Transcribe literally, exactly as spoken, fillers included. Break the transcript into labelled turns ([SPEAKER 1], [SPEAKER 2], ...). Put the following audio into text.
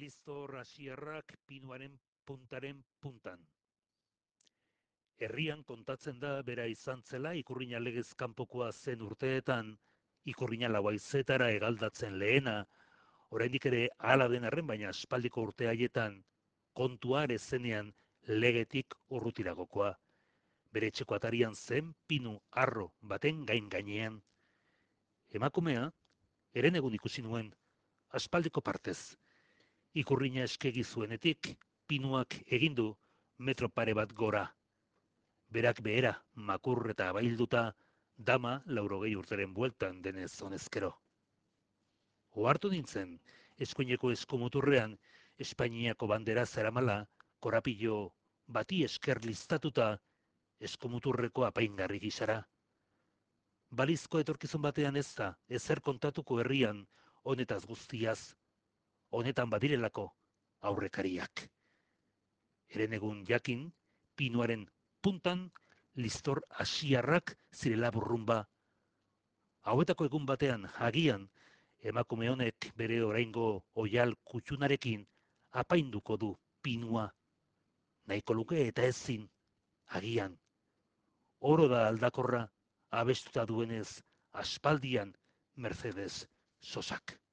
[SPEAKER 1] Liztor hasierrak pinuaren puntaren puntan. Herrian kontatzen da bera izan zela ikurrina legez kanpokoa zen urteetan, ikurrina lauaizetara egaldatzen lehena, oraindik ere hala den arren baina aspaldiko urte haietan kontua ere zenean legetik urrutiragokoa. Bere etxeko atarian zen pinu arro baten gain gainean. Emakumea, eren egun ikusi nuen, aspaldiko partez. Ikurrina eskegi zuenetik, pinuak egindu metro pare bat gora. Berak behera, makur eta abailduta, dama laurogei urteren bueltan denez honezkero. Ohartu nintzen, eskuineko eskumuturrean, Espainiako bandera zeramala, korapillo bati esker listatuta, eskumuturreko apaingarri gisara. Balizko etorkizun batean ez da, ezer kontatuko herrian, honetaz guztiaz, honetan badirelako aurrekariak. Eren egun jakin, pinuaren puntan, listor asiarrak zirela burrumba. Hauetako egun batean, agian, emakume honek bere oraingo oial kutxunarekin apainduko du pinua. Nahiko luke eta ezin, agian. Oro da aldakorra, abestuta duenez, aspaldian Mercedes Sosak.